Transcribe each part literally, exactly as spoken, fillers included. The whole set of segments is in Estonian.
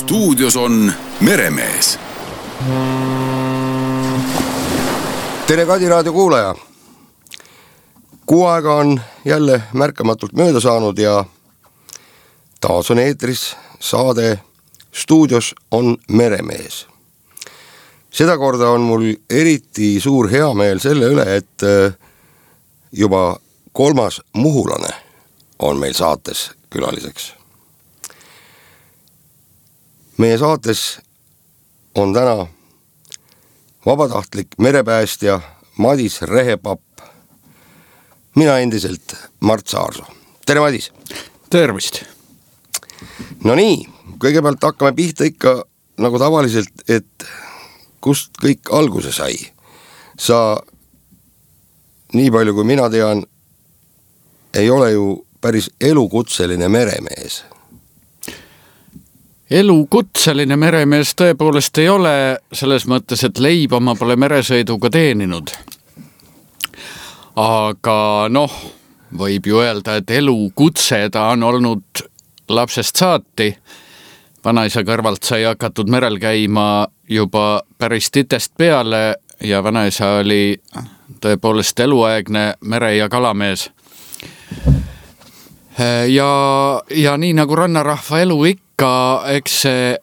Stuudios on Meremees. Tere Kadi raadio kuulaja. Kuu aega on jälle märkamatult mööda saanud ja taas on eetris saade Stuudios on Meremees. Seda korda on mul eriti suur heameel selle üle, et juba kolmas muhulane on meil saates külaliseks. Meie saates on täna vabatahtlik merepäästja Madis Rehepapp. Mina endiselt Mart Saarsoo. Tere Madis! Tervist! No nii, kõigepealt hakkame pihta ikka nagu tavaliselt, et kust kõik alguse sai. Sa, nii palju kui mina tean, ei ole ju päris elukutseline meremees. Elukutseline meremees tõepoolest ei ole, selles mõttes, et leiba ma pole meresõiduga teeninud. Aga noh, võib ju öelda, et elukutse ta on olnud lapsest saati. Vanaisa kõrvalt sai hakatud merel käima juba päris titest peale ja vanaisa oli tõepoolest eluaegne mere- ja kalamees. Ja, ja nii nagu rannarahva elu ikka, eks see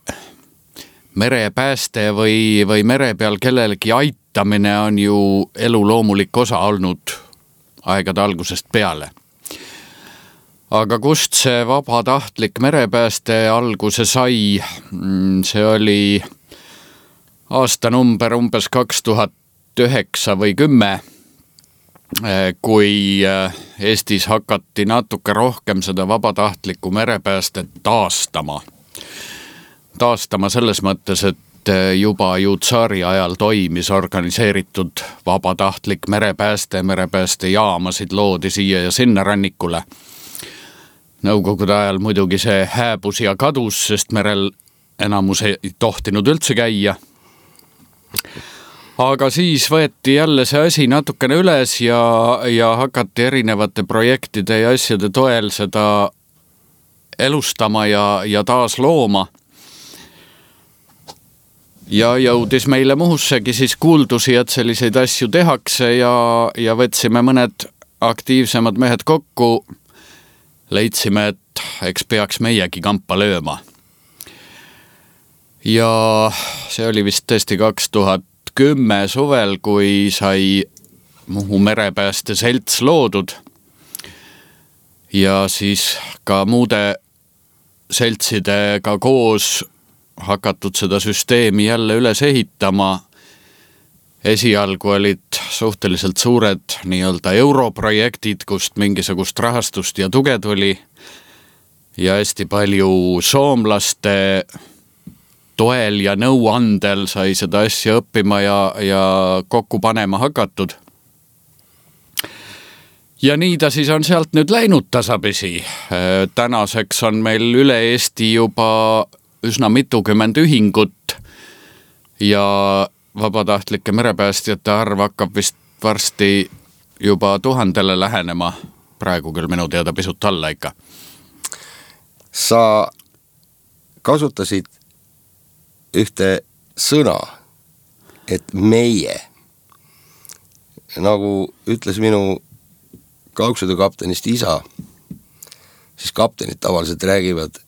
merepääste või, või mere peal kellelegi aitamine on ju elu loomulik osa olnud aegade algusest peale. Aga kust see vabatahtlik merepääste alguse sai, see oli aastanumber umbes kaks tuhat üheksa või kümme, kui Eestis hakati natuke rohkem seda vabatahtlikku merepäästet taastama. Taastama selles mõttes, et juba ju tsaari ajal toimis organiseeritud vabatahtlik merepääste, merepääste jaamasid loodi siia ja sinna rannikule. Nõukogude ajal muidugi see hääbus ja kadus, sest merel enamus ei tohtinud üldse käia. Aga siis võeti jälle see asi natukene üles ja, ja hakati erinevate projektide ja asjade toel seda elustama ja, ja taas looma. Ja jõudis meile Muhussegi siis kuuldusi, et selliseid asju tehakse ja, ja võtsime mõned aktiivsemad mehed kokku. Leidsime, et eks peaks meiegi kampa lööma. Ja see oli vist tõesti kaks tuhat kümme suvel, kui sai Muhu merepääste selts loodud ja siis ka muude seltsidega koos hakatud seda süsteemi jälle üles ehitama. Esialgu olid suhteliselt suured nii-öelda europrojektid, kust mingisugust rahastust ja tuge tuli ja hästi palju soomlaste toel ja nõuandel sai seda asja õppima ja, ja kokku panema hakatud. Ja nii ta siis on sealt nüüd läinud tasapisi. Tänaseks on meil üle Eesti juba üsna mitukümmend ühingut ja vabatahtlike merepäästjate arv hakkab vist varsti juba tuhandele lähenema. Praegu küll minu teada pisut alla ikka. Sa kasutasid ühte sõna, et meie, nagu ütles minu kaugsõidukaptenist isa, siis kaptenid tavaliselt räägivad,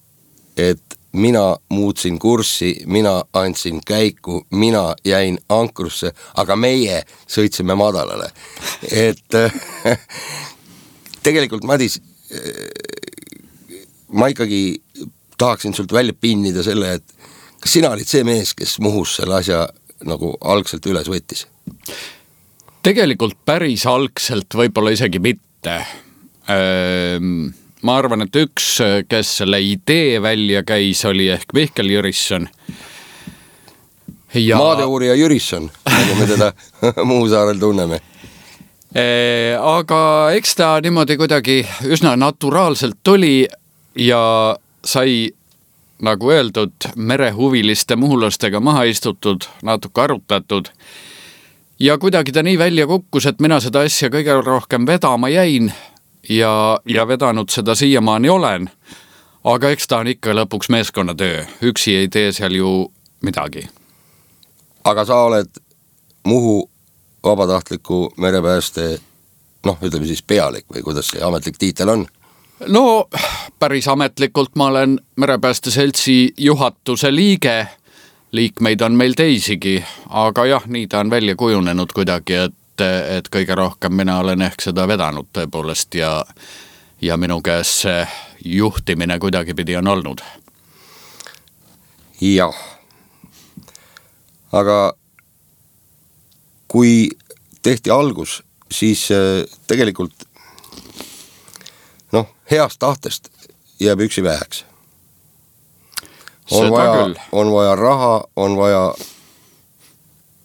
et mina muutsin kurssi, mina andsin käiku, mina jäin ankrusse, aga meie sõitsime madalale. Et tegelikult, Madis, ma ikkagi tahaksin sult välja pinnida selle, et kas sina olid see mees, kes Muhus selle asja nagu algselt üles võttis? Tegelikult päris algselt võib-olla isegi mitte. Ma arvan, et üks, kes selle idee välja käis, oli ehk Mihkel Jürisson. Ja... Maadeurija Jürisson, nagu me teda Muhu saarel tunneme. Aga eks ta niimoodi kuidagi üsna naturaalselt tuli ja sai nagu öeldud, merehuviliste muhulastega maha istutud, natuke arutatud. Ja kuidagi ta nii välja kukkus, et mina seda asja kõige rohkem vedama jäin ja, ja vedanud seda siiamaani olen. aga eks ta on ikka lõpuks meeskonnatöö, üksi ei tee seal ju midagi. Aga sa oled Muhu vabatahtliku merepääste, noh, ütleme siis pealik või kuidas see ametlik tiitel on? No päris ametlikult ma olen merepääste seltsi juhatuse liige, liikmeid on meil teisigi, aga jah, nii ta on välja kujunenud kuidagi, et, et kõige rohkem mina olen ehk seda vedanud tõepoolest ja, ja minu käes see juhtimine kuidagi pidi on olnud. Jah, aga kui tehti algus, siis tegelikult noh, heast tahtest jääb üksi väheks. On vaja, on vaja raha, on vaja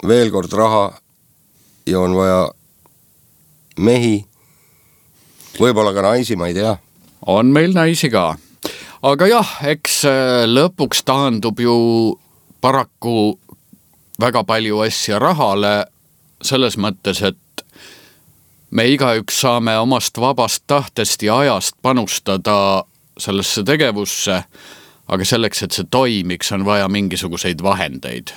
veel kord raha ja on vaja mehi, võib-olla ka naisi, ma ei tea. On meil naisi ka. Aga jah, eks lõpuks taandub ju paraku väga palju asja rahale selles mõttes, et me igaüks saame omast vabast tahtest ja ajast panustada sellesse tegevusse, aga selleks, et see toimiks, on vaja mingisuguseid vahendeid.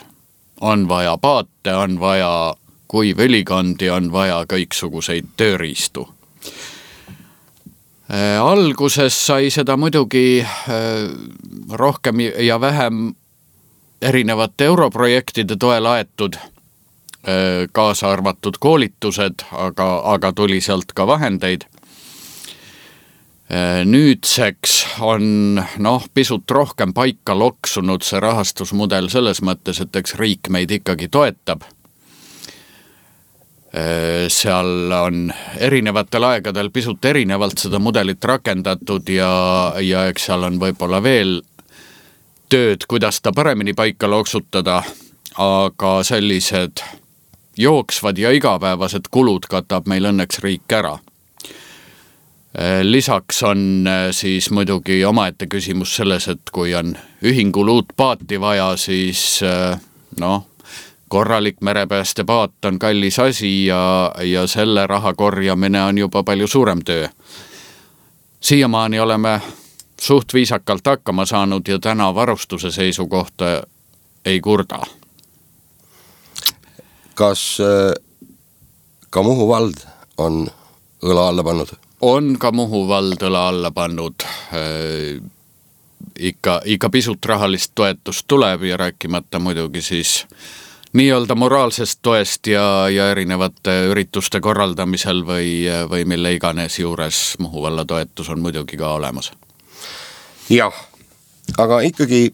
On vaja paate, on vaja kuivõlikondi, on vaja kõiksuguseid tööriistu. Alguses sai seda muidugi rohkem ja vähem erinevate europrojektide toel aetud, kaasa arvatud koolitused, aga, aga tuli sealt ka vahendeid. Nüüdseks on noh, pisut rohkem paika loksunud see rahastusmudel selles mõttes, et eks riik meid ikkagi toetab. Seal on erinevatel aegadel pisut erinevalt seda mudelit rakendatud ja, ja eks seal on võib-olla veel tööd, kuidas ta paremini paika loksutada, aga sellised jooksvad ja igapäevased kulud katab meil õnneks riik ära. Lisaks on siis muidugi omaette küsimus selles, et kui on ühingul uut paati vaja, siis noh, korralik merepääste paat on kallis asi ja, ja selle raha korjamine on juba palju suurem töö. Siiamaani oleme suht viisakalt hakkama saanud ja täna varustuse seisu kohta ei kurda. Kas ka Muhu vald on õla alla pannud? On ka Muhu vald õla alla pannud. Ikka, ikka pisut rahalist toetust tuleb ja rääkimata muidugi siis nii-öelda moraalsest toest ja, ja erinevate ürituste korraldamisel või, või mille iganes juures Muhu valla toetus on muidugi ka olemas. Jah, aga ikkagi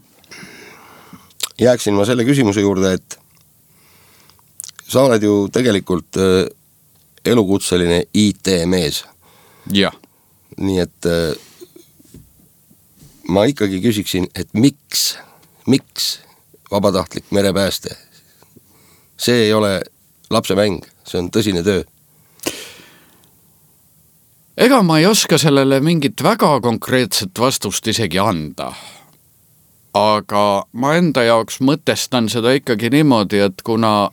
jääksin ma selle küsimuse juurde, et sa oled ju tegelikult elukutseline I T-mees. Jah. Nii et ma ikkagi küsiksin, et miks, miks vabatahtlik merepääste? See ei ole lapsemäng, see on tõsine töö. Ega ma ei oska sellele mingit väga konkreetset vastust isegi anda. Aga ma enda jaoks mõtestan seda ikkagi niimoodi, et kuna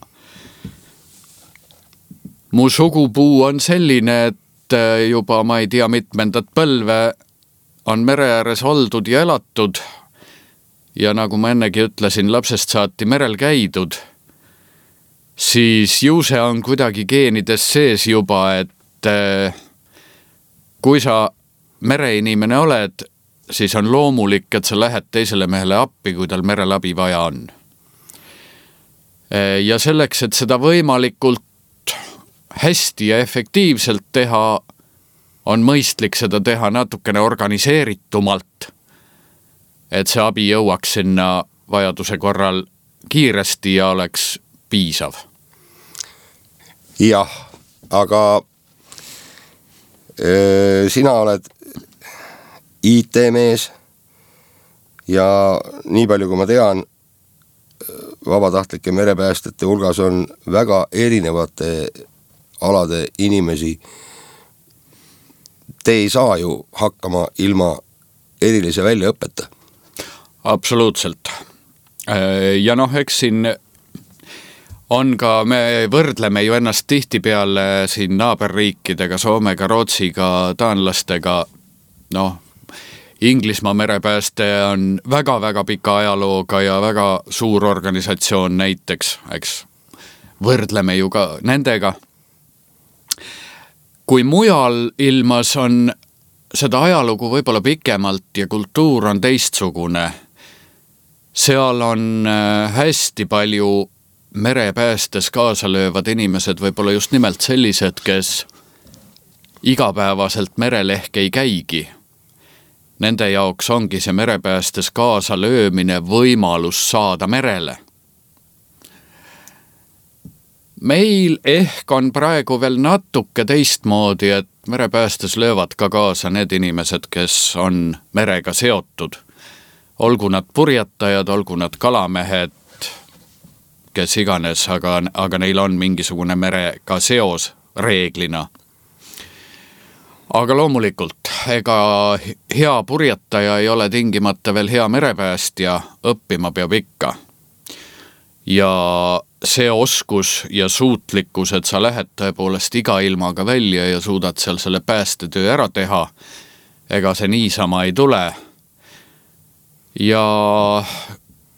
mu sugupuu on selline, et juba ma ei tea mitmendat põlve on mere ääres oldud ja elatud ja nagu ma ennegi ütlesin, lapsest saati merel käidud, siis ju see on kuidagi geenides sees juba, et kui sa mereinimene oled, siis on loomulik, et sa lähed teisele mehele appi, kui tal merel abi vaja on. Ja selleks, et seda võimalikult hästi ja efektiivselt teha, on mõistlik seda teha natukene organiseeritumalt, et see abi jõuaks sinna vajaduse korral kiiresti ja oleks piisav. Jah, aga öö, sina oled I T-mees ja nii palju kui ma tean, vabatahtlike merepäästjate hulgas on väga erinevate alade inimesi. Te ei saa ju hakkama ilma erilise väljaõpeta. Absoluutselt. Ja noh, eks siin on ka, me võrdleme ju ennast tihtipeale siin naaberriikidega, Soomega, Rootsiga, taanlastega, noh, Inglismaa merepääste on väga-väga pika ajalooga ja väga suur organisatsioon näiteks, eks võrdleme ju ka nendega. Kui mujal ilmas on seda ajalugu võib-olla pikemalt ja kultuur on teistsugune, seal on hästi palju merepäästes kaasa löövad inimesed, võib-olla just nimelt sellised, kes igapäevaselt merel ehk ei käigi. Nende jaoks ongi see merepäästes kaasa löömine võimalus saada merele. Meil ehk on praegu veel natuke teistmoodi, et merepäästes löövad ka kaasa need inimesed, kes on merega seotud. Olgu nad purjetajad, olgu nad kalamehed, kes iganes, aga, aga neil on mingisugune merega seos reeglina. Aga loomulikult, ega hea purjetaja ei ole tingimata veel hea merepäästja, õppima peab ikka. Ja see oskus ja suutlikkus, et sa lähed tõepoolest iga ilmaga välja ja suudad seal selle päästetöö ära teha, ega see niisama ei tule. Ja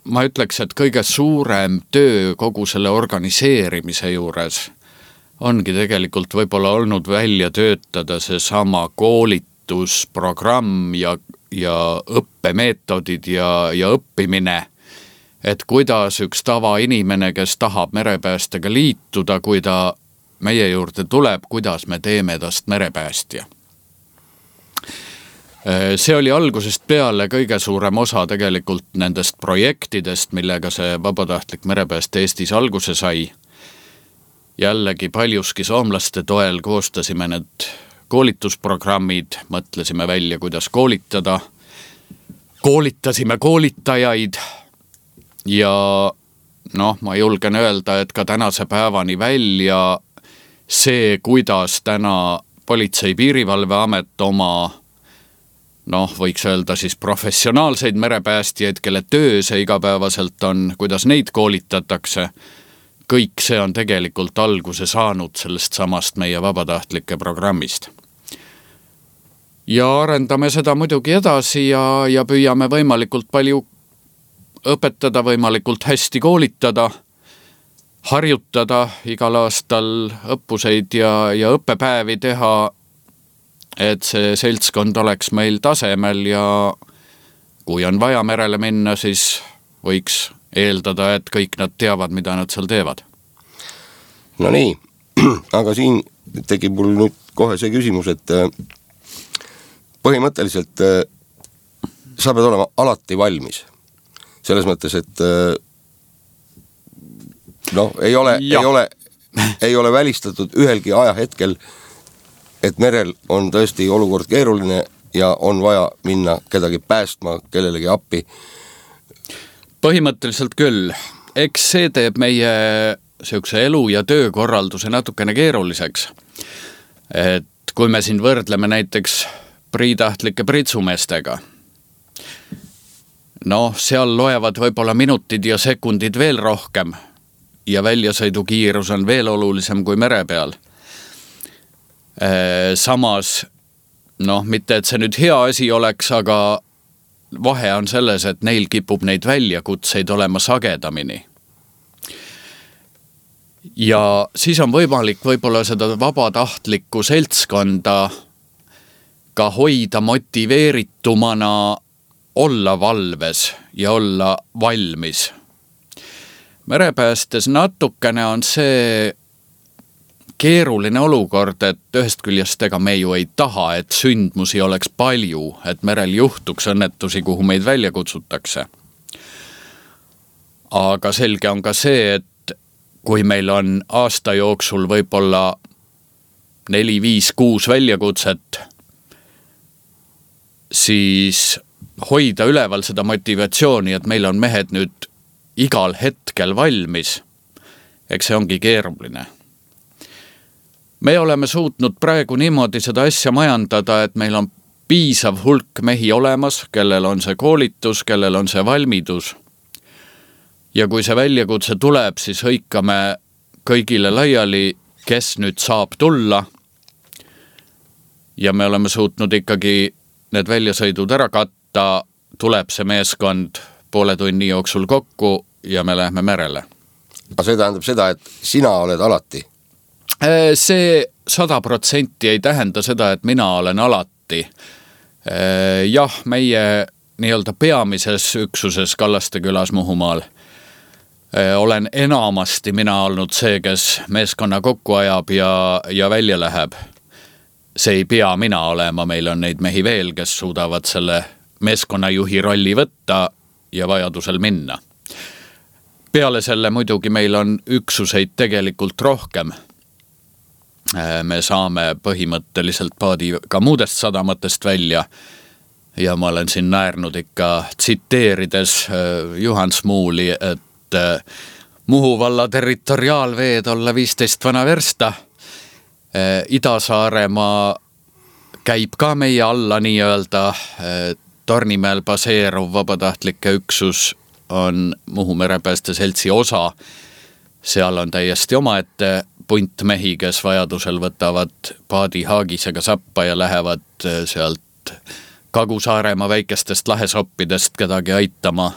ma ütleks, et kõige suurem töö kogu selle organiseerimise juures ongi tegelikult võib-olla olnud välja töötada see sama koolitusprogramm ja, ja õppemeetodid ja, ja õppimine, et kuidas üks tava inimene, kes tahab merepäästega liituda, kui ta meie juurde tuleb, kuidas me teeme tast merepäästja. See oli algusest peale kõige suurem osa tegelikult nendest projektidest, millega see vabatahtlik merepääste Eestis alguse sai. Jällegi paljuski soomlaste toel koostasime need koolitusprogrammid, mõtlesime välja, kuidas koolitada. Koolitasime koolitajaid ja noh, ma julgen öelda, et ka tänase päevani välja see, kuidas täna Politsei- Piirivalveamet oma noh, võiks öelda siis professionaalseid merepäästjaid, kelle töö see igapäevaselt on, kuidas neid koolitatakse. Kõik see on tegelikult alguse saanud sellest samast meie vabatahtlike programmist. Ja arendame seda muidugi edasi ja, ja püüame võimalikult palju õpetada, võimalikult hästi koolitada, harjutada igal aastal õppuseid ja, ja õppepäevi teha, et see seltskond oleks meil tasemel ja kui on vaja merele minna, siis võiks eeldada, et kõik nad teavad, mida nad seal teevad. No nii, aga siin tekib mul nüüd kohe see küsimus, et põhimõtteliselt sa pead olema alati valmis. Selles mõttes, et noh, ei ole, ei ole, ei ole välistatud ühelgi ajahetkel, et merel on tõesti olukord keeruline ja on vaja minna kedagi päästma, kellelegi appi. Põhimõtteliselt küll. Eks see teeb meie sihukese elu- ja töökorralduse natukene keeruliseks. Et kui me siin võrdleme näiteks priitahtlike pritsumeestega, noh, seal loevad võib-olla minutid ja sekundid veel rohkem ja väljasõidukiirus on veel olulisem kui mere peal. Samas, noh, mitte et see nüüd hea asi oleks, aga vahe on selles, et neil kipub neid väljakutseid olema sagedamini. Ja siis on võimalik võib-olla seda vabatahtlikku seltskonda ka hoida motiveeritumana olla valves ja olla valmis. Merepäästes natukene on see keeruline olukord, et ühest küljest ega me ju ei taha, et sündmusi oleks palju, et merel juhtuks õnnetusi, kuhu meid välja kutsutakse. Aga selge on ka see, et kui meil on aasta jooksul võib-olla neli, viis, kuus väljakutset, siis hoida üleval seda motivatsiooni, et meil on mehed nüüd igal hetkel valmis, eks see ongi keeruline. Me oleme suutnud praegu niimoodi seda asja majandada, et meil on piisav hulk mehi olemas, kellel on see koolitus, kellel on see valmidus. Ja kui see väljakutse tuleb, siis hõikame kõigile laiali, kes nüüd saab tulla. Ja me oleme suutnud ikkagi need väljasõidud ära katta, tuleb see meeskond poole tunni jooksul kokku ja me lähme merele. Aga see tähendab seda, et sina oled alati? See sada protsenti ei tähenda seda, et mina olen alati. Jah, meie nii-öelda peamises üksuses Kallaste külas Muhumaal olen enamasti mina olnud see, kes meeskonna kokku ajab ja, ja välja läheb. See ei pea mina olema, meil on neid mehi veel, kes suudavad selle meeskonnajuhi rolli võtta ja vajadusel minna. Peale selle muidugi meil on üksuseid tegelikult rohkem. Me saame põhimõtteliselt paadi ka muudest sadamatest välja ja ma olen siin näärnud ikka tsiteerides Juhan Smuuli, et Muhu valla territoriaalveed olla viisteist vana versta. Ida-Saaremaa käib ka meie alla nii-öelda. Tornimäel baseeruv vabatahtlike üksus on Muhu merepääste seltsi osa. Seal on täiesti omaette punt mehi, kes vajadusel võtavad paadi haagisega sappa ja lähevad sealt Kagu-Saaremaa väikestest lahesoppidest kedagi aitama.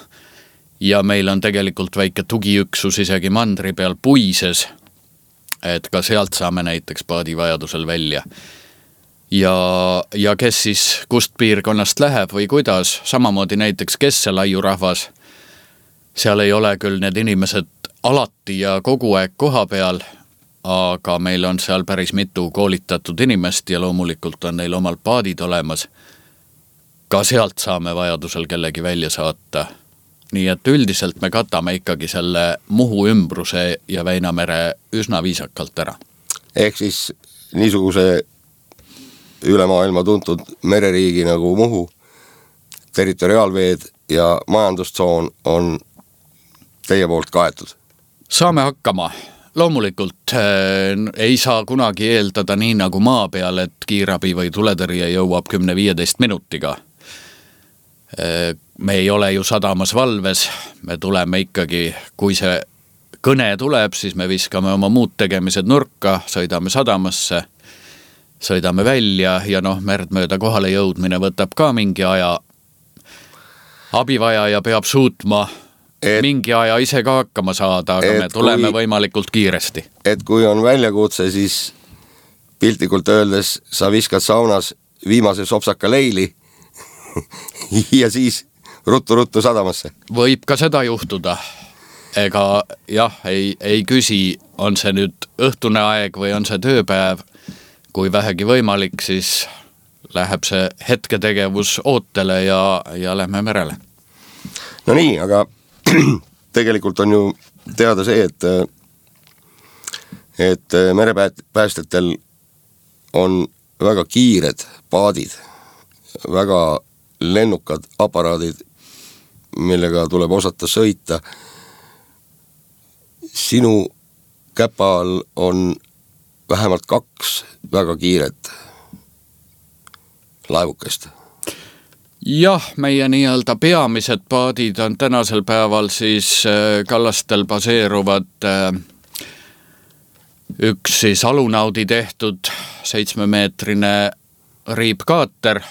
Ja meil on tegelikult väike tugiüksus isegi mandri peal Puises, et ka sealt saame näiteks paadi vajadusel välja. Ja, ja kes siis kust piirkonnast läheb või kuidas, samamoodi näiteks Kesselaiu rahvas, seal ei ole küll need inimesed alati ja kogu aeg koha peal, aga meil on seal päris mitu koolitatud inimest ja loomulikult on neil omal paadid olemas. Ka sealt saame vajadusel kellegi välja saata. Nii et üldiselt me katame ikkagi selle Muhu ümbruse ja Väinamere üsna viisakalt ära. Ehk siis niisuguse üle maailma tuntud mereriigi nagu Muhu, territoriaalveed ja majandustsoon on teie poolt kaetud? Saame hakkama. Loomulikult äh, ei saa kunagi eeldada nii nagu maa peal, et kiirabi või tuletõrje jõuab kümne viieteist minutiga. Äh, me ei ole ju sadamas valves, me tuleme ikkagi, kui see kõne tuleb, siis me viskame oma muud tegemised nurka, sõidame sadamasse, sõidame välja ja noh, merd mööda kohale jõudmine võtab ka mingi aja. Abivajaja peab suutma et, mingi aja ise ka hakkama saada, aga me tuleme kui, võimalikult kiiresti. Et kui on väljakutse, siis piltlikult öeldes sa viskad saunas viimase sopsaka leili ja siis ruttu-ruttu sadamasse. Võib ka seda juhtuda. Ega jah, ei, ei küsi, on see nüüd õhtune aeg või on see tööpäev. Kui vähegi võimalik, siis läheb see hetketegevus ootele ja, ja lähme merele. No nii, aga tegelikult on ju teada see, et, et merepäästetel on väga kiired paadid, väga lennukad aparaadid, millega tuleb osata sõita. Sinu käpal on vähemalt kaks väga kiiret laevukest. Jah, meie nii-öelda peamised paadid on tänasel päeval siis Kallastel baseeruvad üks siis Alunaudi tehtud seitsmemeetrine riibkaater.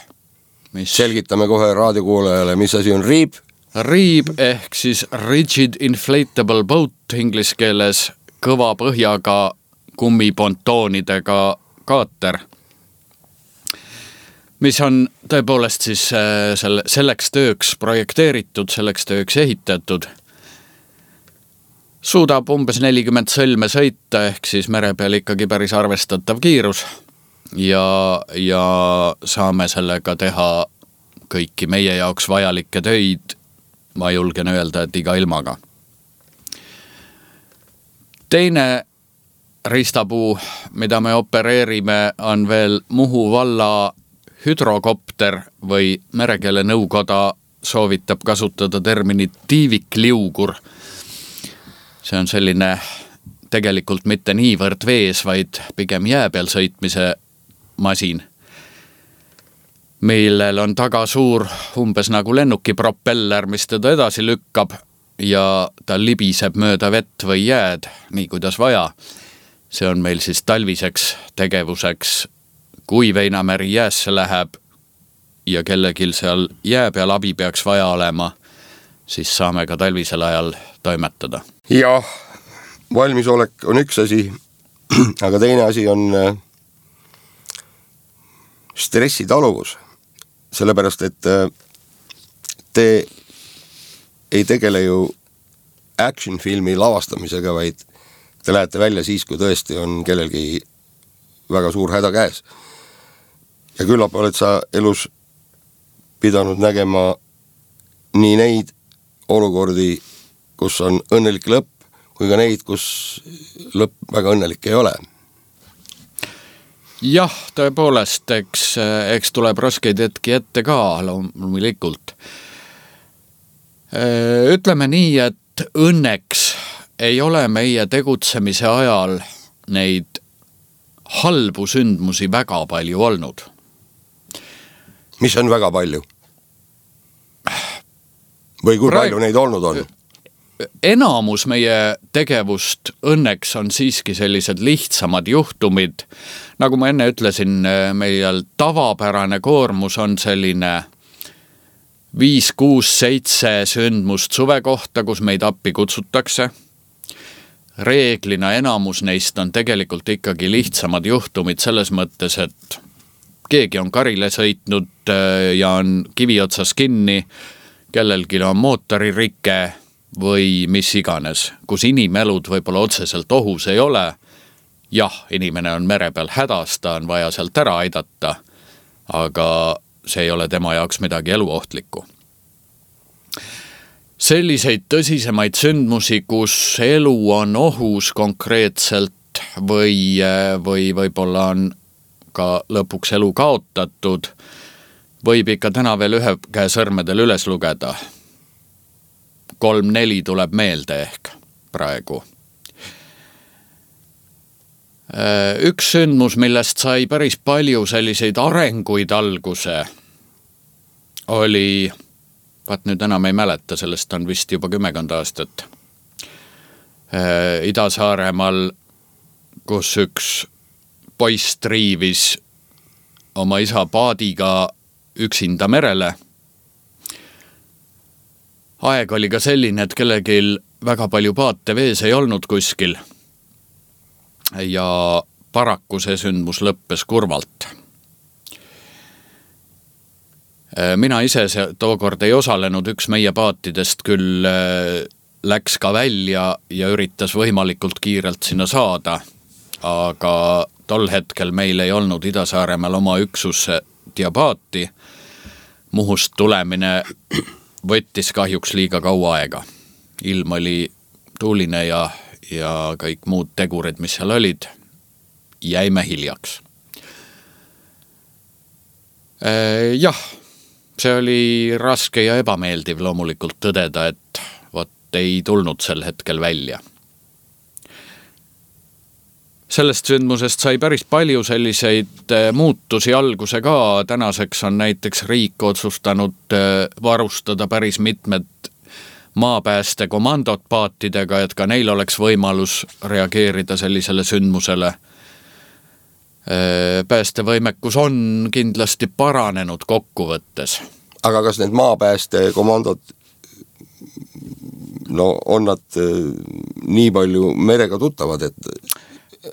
Mis... Selgitame kohe raadiokuulajale, mis asi on riib? Riib ehk siis Rigid Inflatable Boat inglise keeles, kõva põhjaga kummipontoonidega kaater, mis on tõepoolest siis selle, selleks tööks projekteeritud, selleks tööks ehitatud. Suudab umbes nelikümmend sõlme sõita, ehk siis mere peal ikkagi päris arvestatav kiirus ja, ja saame sellega teha kõiki meie jaoks vajalikke töid, ma julgen öelda, et iga ilmaga. Teine riistapuu, mida me opereerime, on veel Muhu valla hüdrokopter või merekeele nõukoda soovitab kasutada terminit tiivikliugur. See on selline tegelikult mitte niivõrd vees, vaid pigem jää peal sõitmise masin, millel on taga suur umbes nagu lennuki propeller, mis teda edasi lükkab ja ta libiseb mööda vett või jääd, nii kuidas vaja. See on meil siis talviseks tegevuseks, kui Väinameri jäässe läheb ja kellegil seal jää peal abi peaks vaja olema, siis saame ka talvisel ajal toimetada. Jah, valmisolek on üks asi, aga teine asi on stressitaluvus. Sellepärast, et te ei tegele ju action filmi lavastamisega, vaid te lähete välja siis, kui tõesti on kellelgi väga suur häda käes. Ja küllap oled sa elus pidanud nägema nii neid olukordi, kus on õnnelik lõpp, kui ka neid, kus lõpp väga õnnelik ei ole. Jah, tõepoolest, eks, eks tuleb raskeid hetki ette ka loomulikult. Ütleme nii, et õnneks ei ole meie tegutsemise ajal neid halbu sündmusi väga palju olnud. Mis on väga palju? Või kui Praegu... palju neid olnud on? Enamus meie tegevust õnneks on siiski sellised lihtsamad juhtumid. Nagu ma enne ütlesin, meil tavapärane koormus on selline viis, kuus, seitse sündmust suve kohta, kus meid appi kutsutakse. Reeglina enamus neist on tegelikult ikkagi lihtsamad juhtumid selles mõttes, et keegi on karile sõitnud ja on kivi otsas kinni, kellelgi on mootoririke või mis iganes, kus inimelud võib-olla otseselt ohus ei ole. Jah, inimene on mere peal hädas, ta on vaja sealt ära aidata, aga see ei ole tema jaoks midagi eluohtlikku. Selliseid tõsisemaid sündmusi, kus elu on ohus konkreetselt või, või võib-olla on ka lõpuks elu kaotatud, võib ikka täna veel ühe käe sõrmedel üles lugeda. Kolm-neli tuleb meelde ehk praegu. Üks sündmus, millest sai päris palju selliseid arenguid alguse, oli, vaat nüüd enam ei mäleta, sellest on vist juba kümmekond aastat, Ida-Saaremaal, kus üks poiss triivis oma isa paadiga üksinda merele. Aeg oli ka selline, et kellegil väga palju paate vees ei olnud kuskil ja paraku see sündmus lõppes kurvalt. Mina ise tookord ei osalenud, üks meie paatidest küll läks ka välja ja üritas võimalikult kiirelt sinna saada, aga tol hetkel meil ei olnud Ida-Saaremaal oma üksus ja paati. Muhust tulemine võttis kahjuks liiga kaua aega. Ilm oli tuuline ja, ja kõik muud tegurid, mis seal olid, jäime hiljaks. Jah, see oli raske ja ebameeldiv loomulikult tõdeda, et vot ei tulnud sel hetkel välja. Sellest sündmusest sai päris palju selliseid muutusi alguse ka. Tänaseks on näiteks riik otsustanud varustada päris mitmed maapääste komandot paatidega, et ka neil oleks võimalus reageerida sellisele sündmusele. Päästevõimekus on kindlasti paranenud kokkuvõttes. Aga kas need maapääste komandod, no on nad nii palju merega tuttavad, et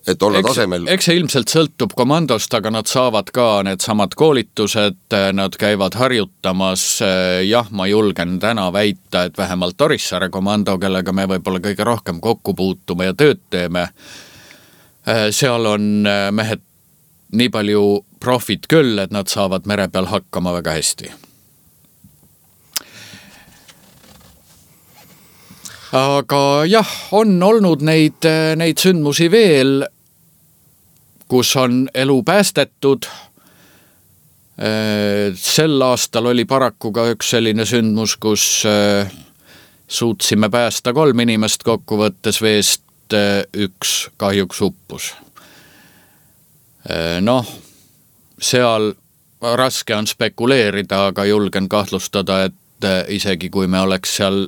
et olla eks, tasemel? Eks see ilmselt sõltub komandost, aga nad saavad ka need samad koolitused, nad käivad harjutamas. Jah, ma julgen täna väita, et vähemalt Orissaare komando, kellega me võib-olla kõige rohkem kokku puutume ja tööd teeme, seal on mehed nii palju profit küll, et nad saavad mere peal hakkama väga hästi. Aga jah, on olnud neid, neid sündmusi veel, kus on elu päästetud. Sel aastal oli paraku ka üks selline sündmus, kus suutsime päästa kolm inimest kokkuvõttes veest, üks kahjuks uppus. Noh, seal raske on spekuleerida, aga julgen kahtlustada, et isegi kui me oleks seal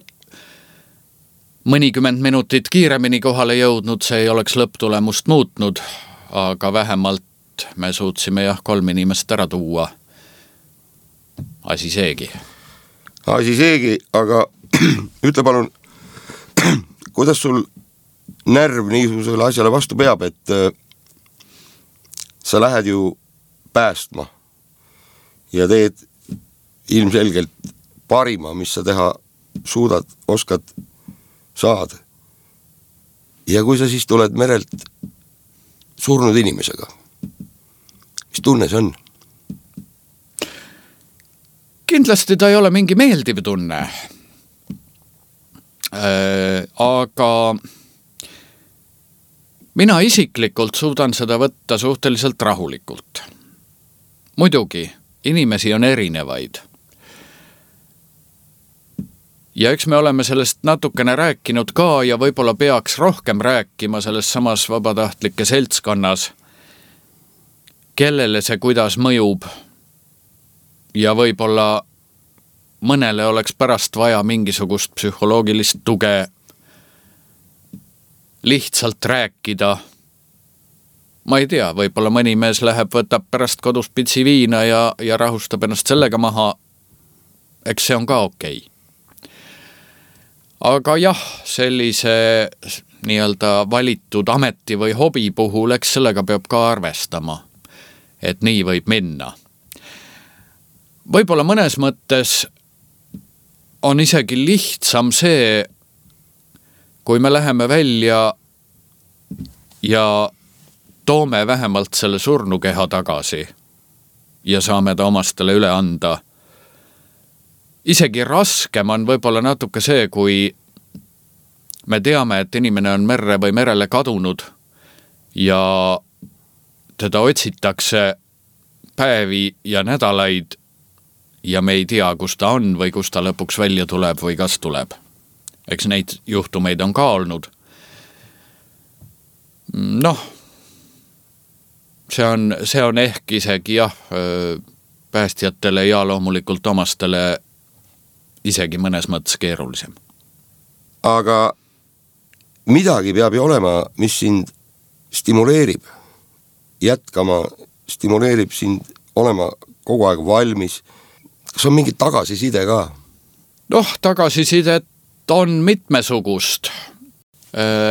mõnikümmend minutit kiiremini kohale jõudnud, see ei oleks lõpptulemust muutnud, aga vähemalt me suutsime jah kolm inimest ära tuua. asi seegi. asi seegi, aga ütle palun, kuidas sul närv niisugusele asjale vastu peab, et äh, sa lähed ju päästma ja teed ilmselgelt parima, mis sa teha suudad, oskad, saad. Ja kui sa siis tuled merelt surnud inimesega, mis tunne see on? Kindlasti ta ei ole mingi meeldiv tunne. Äh, aga mina isiklikult suudan seda võtta suhteliselt rahulikult. Muidugi, inimesi on erinevaid. Ja eks me oleme sellest natukene rääkinud ka ja võib-olla peaks rohkem rääkima selles samas vabatahtlike seltskonnas, kellele see kuidas mõjub ja võib-olla mõnele oleks pärast vaja mingisugust psühholoogilist tuge lihtsalt rääkida. Ma ei tea, võib-olla mõni mees läheb, võtab pärast kodus pitsi viina ja, ja rahustab ennast sellega maha. Eks see on ka okei. Aga jah, sellise nii-öelda valitud ameti või hobi puhul, eks sellega peab ka arvestama, et nii võib minna. Võib-olla mõnes mõttes on isegi lihtsam see, kui me läheme välja ja toome vähemalt selle surnukeha tagasi ja saame ta omastele üle anda. Isegi raskem on võib-olla natuke see, kui me teame, et inimene on merre või merele kadunud ja teda otsitakse päevi ja nädalaid ja me ei tea, kus ta on või kus ta lõpuks välja tuleb või kas tuleb. Eks neid juhtumeid on ka olnud. Noh, see on, see on ehk isegi jah, päästjatele ja loomulikult omastele isegi mõnes mõttes keerulisem. Aga midagi peab ju olema, mis sind stimuleerib jätkama, stimuleerib sind olema kogu aeg valmis. Kas on mingi tagasiside ka? Noh, tagasisidet on mitmesugust.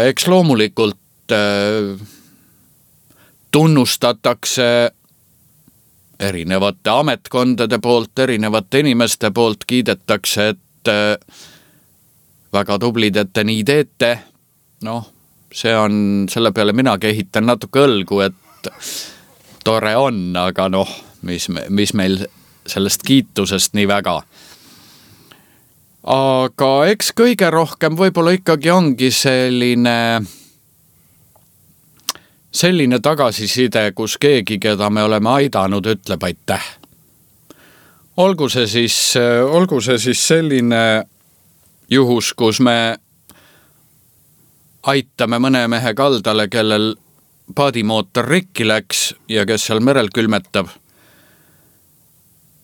Eks loomulikult tunnustatakse erinevate ametkondade poolt, erinevate inimeste poolt, kiidetakse, et väga tublid, et te nii teete. Noh, see on, selle peale minagi ehitan natuke õlgu, et tore on, aga noh, mis, mis meil sellest kiitusest nii väga. Aga eks kõige rohkem võib-olla ikkagi ongi selline selline tagasiside, kus keegi, keda me oleme aidanud, ütleb aitäh. Olgu see siis, olgu see siis selline juhus, kus me aitame mõne mehe kaldale, kellel paadimootor rikki läks ja kes seal merel külmetab.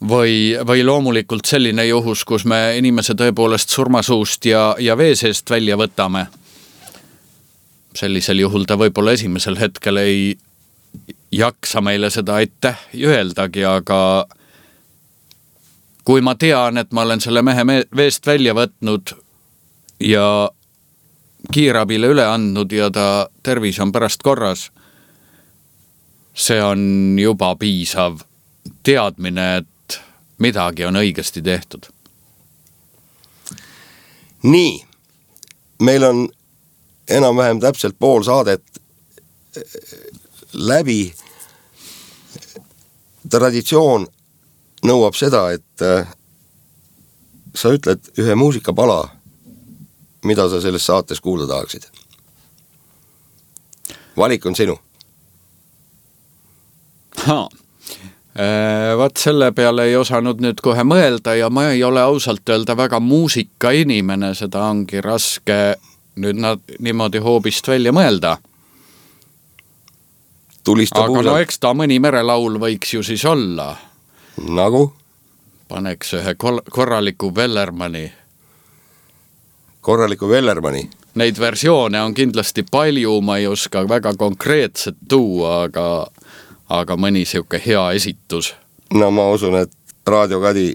Või, või loomulikult selline juhus, kus me inimese tõepoolest surmasuust ja, ja vee seest välja võtame. Sellisel juhul ta võib-olla esimesel hetkel ei jaksa meile seda aitäh öeldagi, aga kui ma tean, et ma olen selle mehe veest välja võtnud ja kiirabile üle andnud ja ta tervis on pärast korras, see on juba piisav teadmine, et midagi on õigesti tehtud. Nii, meil on enam-vähem täpselt pool saadet läbi. Traditsioon nõuab seda, et sa ütled ühe muusikapala, mida sa selles saates kuulda tahaksid. Valik on sinu. Haa. Vaat selle peale ei osanud nüüd kohe mõelda ja ma ei ole ausalt öelda väga muusika inimene, seda ongi raske nüüd nad niimoodi hoobist välja mõelda. Tulista aga puusalt. No eks ta mõni merelaul võiks ju siis olla. Nagu? Paneks ühe korraliku Vellermani. Korraliku Vellermani? Neid versioone on kindlasti palju, ma ei oska väga konkreetset tuua, aga, aga mõni siuke hea esitus. No ma usun, et Raadio Kadi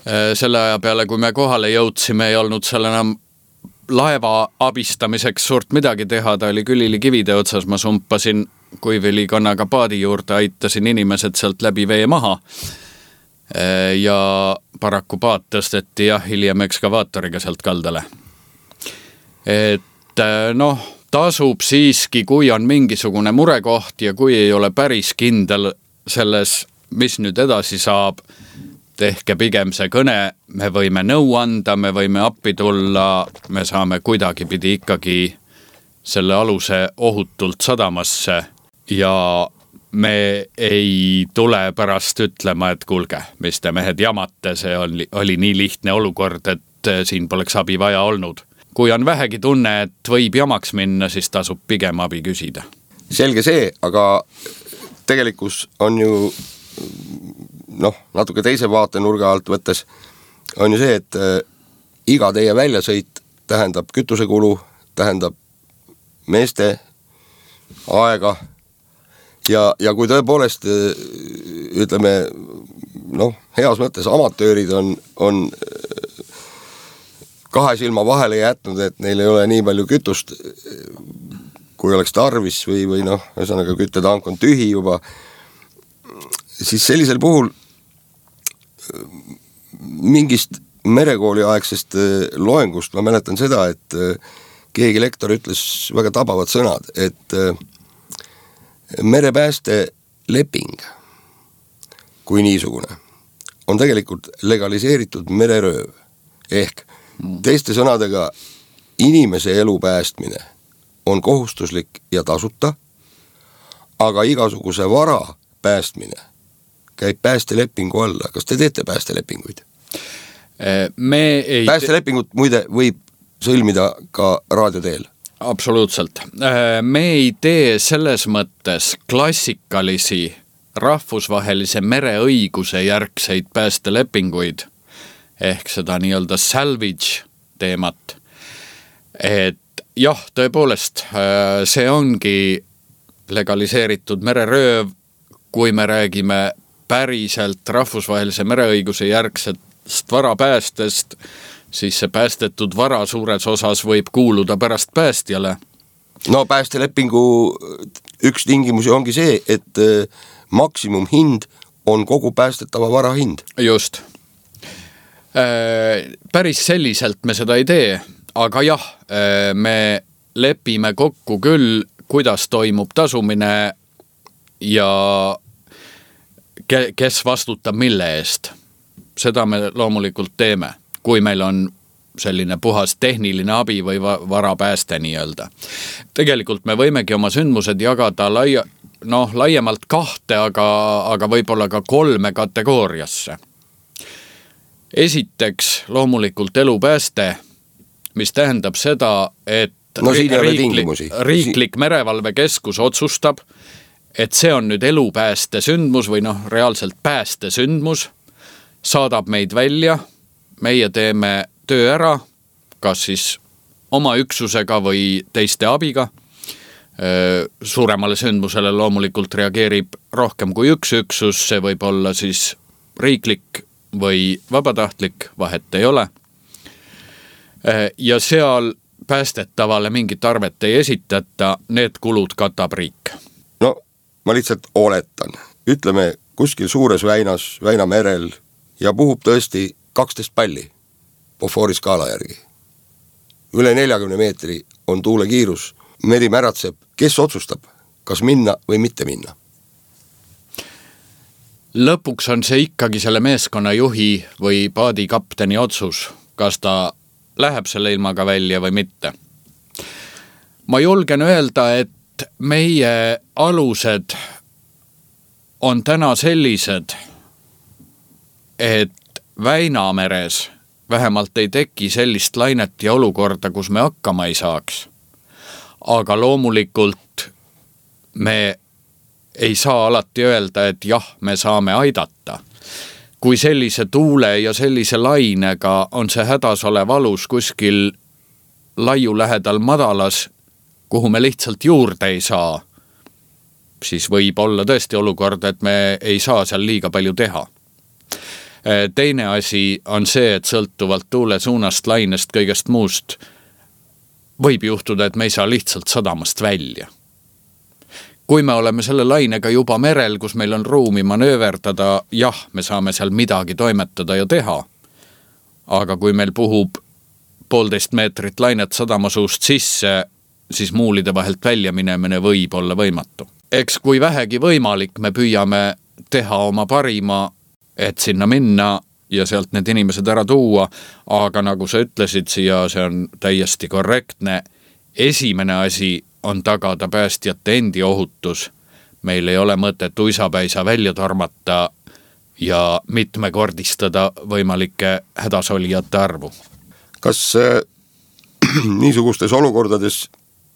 Selle aja peale, kui me kohale jõudsime, ei olnud seal enam laeva abistamiseks suurt midagi teha, ta oli külili kivide otsas, ma sumpasin kuivilikonnaga paadi juurde, aitasin inimesed sealt läbi vee maha ja paraku paat tõsteti jah, hiljem ekskavaatoriga sealt kaldale. Et noh, tasub siiski, kui on mingisugune murekoht ja kui ei ole päris kindel selles, mis nüüd edasi saab, tehke pigem see kõne, me võime nõu anda, me võime appi tulla, me saame kuidagi pidi ikkagi selle aluse ohutult sadamasse ja me ei tule pärast ütlema, et kuulge, mis te mehed jamate, see oli, oli nii lihtne olukord, et siin poleks abi vaja olnud. Kui on vähegi tunne, et võib jamaks minna, siis tasub pigem abi küsida. Selge see, aga tegelikkus on ju noh, natuke teise vaatenurga alt võttes on ju see, et äh, iga teie väljasõit tähendab kütusekulu, tähendab meeste aega ja, ja kui tõepoolest äh, ütleme noh, heas mõttes amatöörid on, on äh, kahe silma vahele jätnud, et neil ei ole nii palju kütust, kui oleks tarvis või, või noh, ühesõnaga küttetank on tühi juba, siis sellisel puhul mingist merekooli aegsest loengust ma mäletan seda, et keegi lektor ütles väga tabavad sõnad, et merepääste leping kui niisugune on tegelikult legaliseeritud mererööv ehk teiste sõnadega inimese elu päästmine on kohustuslik ja tasuta, aga igasuguse vara päästmine käib päästelepingu alla. Kas te teete päästelepinguid? Me ei päästelepingut muide võib sõlmida ka raadioteel. Absoluutselt. Me ei tee selles mõttes klassikalisi rahvusvahelise mereõiguse järgseid päästelepinguid ehk seda nii-öelda salvage teemat. Et jah, tõepoolest, see ongi legaliseeritud mererööv, kui me räägime päriselt rahvusvahelise mereõiguse järgsest varapäästest, siis see päästetud vara suures osas võib kuuluda pärast päästjale. No päästelepingu üks tingimusi ongi see, et maksimumhind on kogu päästetava vara hind. Just. Päris selliselt me seda ei tee, aga jah, me lepime kokku küll, kuidas toimub tasumine ja kes vastutab mille eest. Seda me loomulikult teeme, kui meil on selline puhas tehniline abi või varapääste nii-öelda. Tegelikult me võimegi oma sündmused jagada laia, noh, laiemalt kahte, aga, aga võib-olla ka kolme kategooriasse. Esiteks loomulikult elupääste, mis tähendab seda, et no, riiklik, riiklik merevalvekeskus otsustab, et see on nüüd elupääste sündmus või noh, reaalselt pääste sündmus, saadab meid välja, meie teeme töö ära, kas siis oma üksusega või teiste abiga. Suuremale sündmusele loomulikult reageerib rohkem kui üks üksus, see võib olla siis riiklik või vabatahtlik, vahet ei ole. Ja seal päästetavale mingit arvet ei esitata, need kulud katab riik. No ma lihtsalt oletan, ütleme kuskil suures väinas, väinamerel ja puhub tõesti kaksteist palli Beauforti skaala järgi. Üle neljakümne meetri on tuule kiirus, meri märatseb, kes otsustab, kas minna või mitte minna? Lõpuks on see ikkagi selle meeskonna juhi või paadikapteni otsus, kas ta läheb selle ilmaga välja või mitte. Ma julgen öelda, et meie alused on täna sellised, et Väinameres vähemalt ei teki sellist lainet ja olukorda, kus me hakkama ei saaks. Aga loomulikult me ei saa alati öelda, et jah, me saame aidata. Kui sellise tuule ja sellise lainega on see hädas olev alus kuskil laiu lähedal madalas, kuhu me lihtsalt juurde ei saa, siis võib olla tõesti olukord, et me ei saa seal liiga palju teha. Teine asi on see, et sõltuvalt tuule suunast, lainest, kõigest muust võib juhtuda, et me ei saa lihtsalt sadamast välja. Kui me oleme selle lainega juba merel, kus meil on ruumi manööverdada, jah, me saame seal midagi toimetada ja teha. Aga kui meil puhub poolteist meetrit lainet sadamasuust sisse, siis muulide vahelt välja minemine võib olla võimatu. Eks kui vähegi võimalik, me püüame teha oma parima, et sinna minna ja sealt need inimesed ära tuua, aga nagu sa ütlesid siia, see on täiesti korrektne. Esimene asi on tagada päästjate endi ohutus. Meil ei ole mõtet uisapäisa välja tormata ja mitmekordistada võimalike hädasolijate arvu. Kas äh, niisugustes olukordades,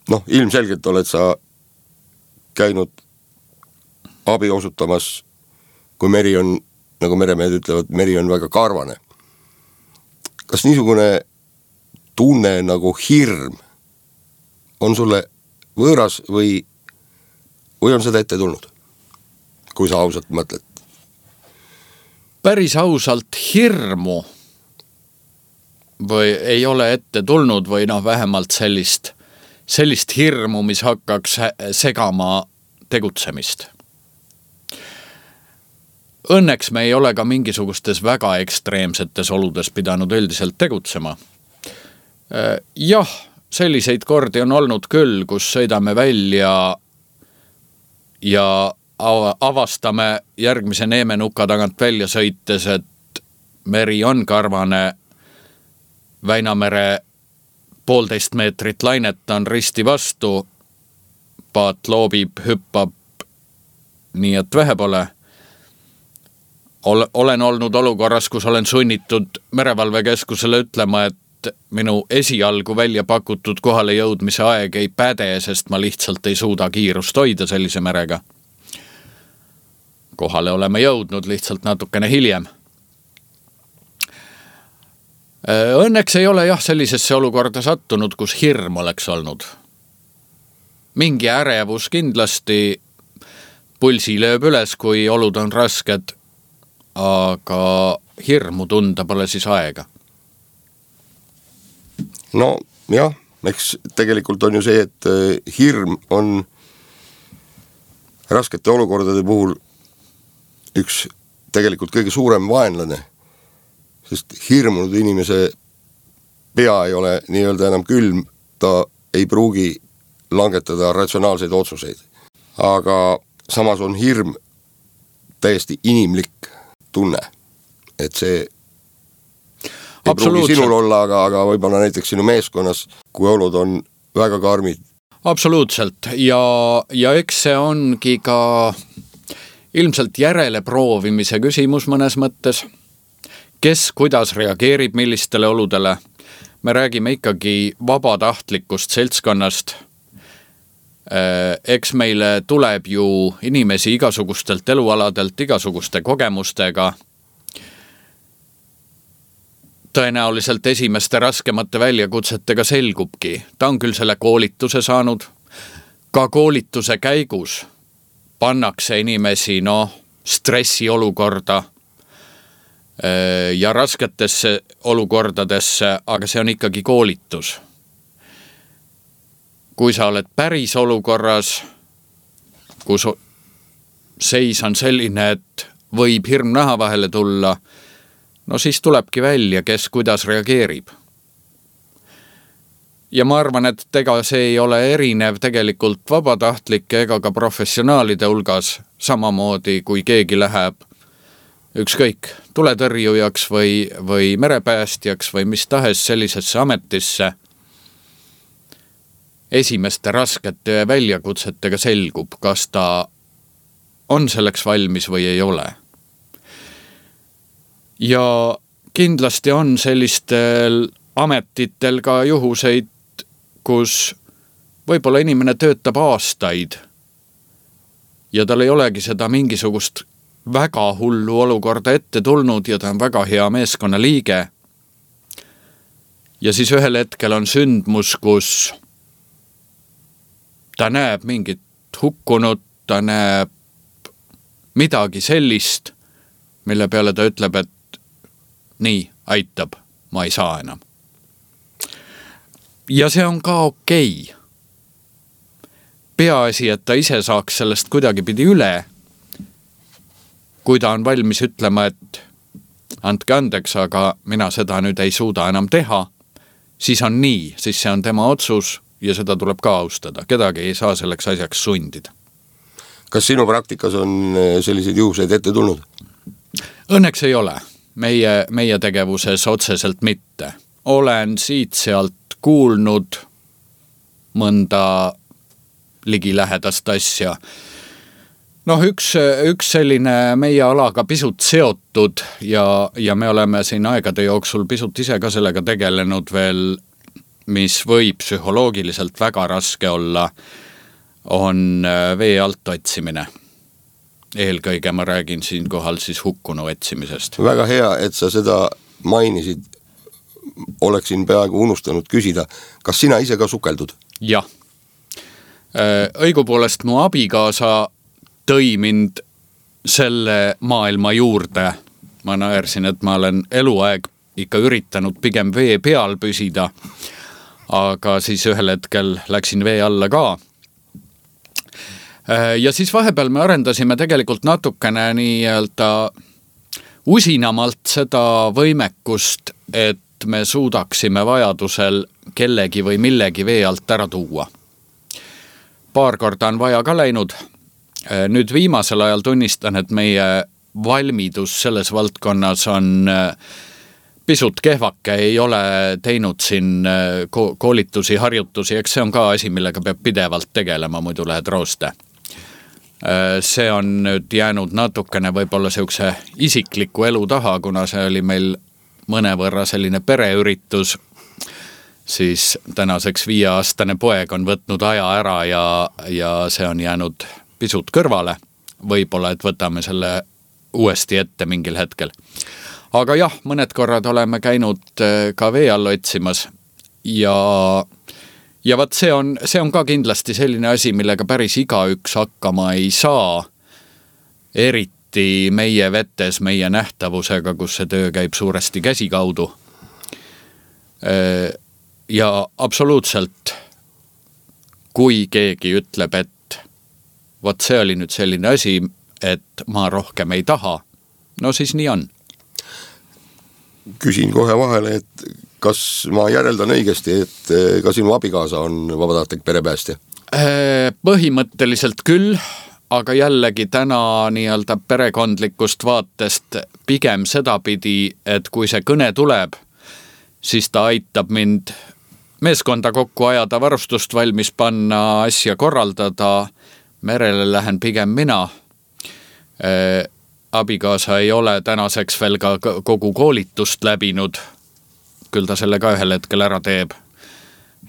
noh, ilmselgelt oled sa käinud abi osutamas, kui meri on, nagu meremehed ütlevad, meri on väga karvane. Kas niisugune tunne nagu hirm on sulle võõras või, või on seda ette tulnud, kui sa ausalt mõtled? Päris ausalt hirmu või ei ole ette tulnud või noh, vähemalt sellist, sellist hirmu, mis hakkaks segama tegutsemist. Õnneks me ei ole ka mingisugustes väga ekstreemsetes oludes pidanud üldiselt tegutsema. Jah, selliseid kordi on olnud küll, kus sõidame välja ja avastame järgmise neemenuka tagant välja sõites, et meri on karvane, Väinamere poolteist meetrit lainet on risti vastu, paat loobib, hüppab, nii et vähe pole. Olen olnud olukorras, kus olen sunnitud merevalvekeskusele ütlema, et minu esialgu välja pakutud kohale jõudmise aeg ei päde, sest ma lihtsalt ei suuda kiirust hoida sellise merega. Kohale oleme jõudnud lihtsalt natukene hiljem. Õnneks ei ole jah sellisesse olukorda sattunud, kus hirm oleks olnud. Mingi ärevus kindlasti, pulsi lööb üles, kui olud on rasked, aga hirmu tunda pole siis aega. No jah, eks tegelikult on ju see, et hirm on raskete olukordade puhul üks tegelikult kõige suurem vaenlane, sest hirmunud inimese pea ei ole nii-öelda enam külm, ta ei pruugi langetada ratsionaalseid otsuseid. Aga samas on hirm täiesti inimlik tunne, et see ei pruugi sinul olla, aga, aga võib-olla näiteks sinu meeskonnas, kui olud on väga karmid. Absoluutselt ja, ja eks see ongi ka ilmselt järele proovimise küsimus mõnes mõttes. Kes kuidas reageerib millistele oludele. Me räägime ikkagi vabatahtlikust seltskonnast. Eks meile tuleb ju inimesi igasugustelt elualadelt, igasuguste kogemustega. Tõenäoliselt esimeste raskemate väljakutsetega selgubki. Ta on küll selle koolituse saanud. Ka koolituse käigus pannakse inimesi no, stressi olukorda ja rasketesse olukordadesse, aga see on ikkagi koolitus. Kui sa oled päris olukorras, kus seis on selline, et võib hirm naha vahele tulla, no siis tulebki välja, kes kuidas reageerib. Ja ma arvan, et ega see ei ole erinev tegelikult vabatahtlike ega ka professionaalide hulgas, samamoodi kui keegi läheb ükskõik tuletõrjujaks või, või merepäästjaks või mis tahes sellisesse ametisse. Esimeste raskete väljakutsetega selgub, kas ta on selleks valmis või ei ole. Ja kindlasti on sellistel ametitel ka juhuseid, kus võib-olla inimene töötab aastaid ja tal ei olegi seda mingisugust väga hullu olukorda ette tulnud ja ta on väga hea meeskonna liige. Ja siis ühel hetkel on sündmus, kus ta näeb mingit hukkunut, ta näeb midagi sellist, mille peale ta ütleb, et nii, aitab, ma ei saa enam. Ja see on ka okei. Peaasi, et ta ise saaks sellest kuidagi pidi üle, kui ta on valmis ütlema, et andke andeks, aga mina seda nüüd ei suuda enam teha, siis on nii, siis see on tema otsus ja seda tuleb ka austada. Kedagi ei saa selleks asjaks sundida. Kas sinu praktikas on selliseid juhuseid ette tulnud? Õnneks ei ole. Meie, meie tegevuses otseselt mitte. Olen siit sealt kuulnud mõnda ligilähedast asja. Noh, üks, üks selline meie alaga pisut seotud ja, ja me oleme siin aegade jooksul pisut ise ka sellega tegelenud veel, mis võib psühholoogiliselt väga raske olla, on vee alt otsimine. Eelkõige ma räägin siin kohal siis hukkunu otsimisest. Väga hea, et sa seda mainisid. Oleksin peaaegu unustanud küsida, kas sina ise ka sukeldud? Jah. Õigupoolest mu abikaasa tõi mind selle maailma juurde. Ma naersin, et ma olen eluaeg ikka üritanud pigem vee peal püsida, aga siis ühel hetkel läksin vee alla ka. Ja siis vahepeal me arendasime tegelikult natukene nii-öelda usinamalt seda võimekust, et me suudaksime vajadusel kellegi või millegi vee alt ära tuua. Paar korda on vaja ka läinud. Nüüd viimasel ajal tunnistan, et meie valmidus selles valdkonnas on pisut kehvake, ei ole teinud siin koolitusi, harjutusi, eks see on ka asi, millega peab pidevalt tegelema, muidu lähed rooste. See on nüüd jäänud natukene võib-olla siukse isikliku elu taha, kuna see oli meil mõnevõrra selline pereüritus, siis tänaseks viieaastane poeg on võtnud aja ära ja, ja see on jäänud pisut kõrvale. Võib-olla, et võtame selle uuesti ette mingil hetkel. Aga jah, mõned korrad oleme käinud ka vee all otsimas ja, ja vaat see on, see on ka kindlasti selline asi, millega päris igaüks hakkama ei saa, eriti meie vetes, meie nähtavusega, kus see töö käib suuresti käsi kaudu. Ja absoluutselt, kui keegi ütleb, et vot see oli nüüd selline asi, et ma rohkem ei taha, no siis nii on. Küsin kohe vahele, et kas ma järeldan õigesti, et ka sinu abikaasa on vabatahtlik perepäästja? Põhimõtteliselt küll, aga jällegi täna nii-öelda perekondlikust vaatest pigem sedapidi, et kui see kõne tuleb, siis ta aitab mind meeskonda kokku ajada, varustust valmis panna, asja korraldada, merele lähen pigem mina. Abikaasa ei ole tänaseks veel ka kogu koolitust läbinud, küll ta selle ka ühel hetkel ära teeb.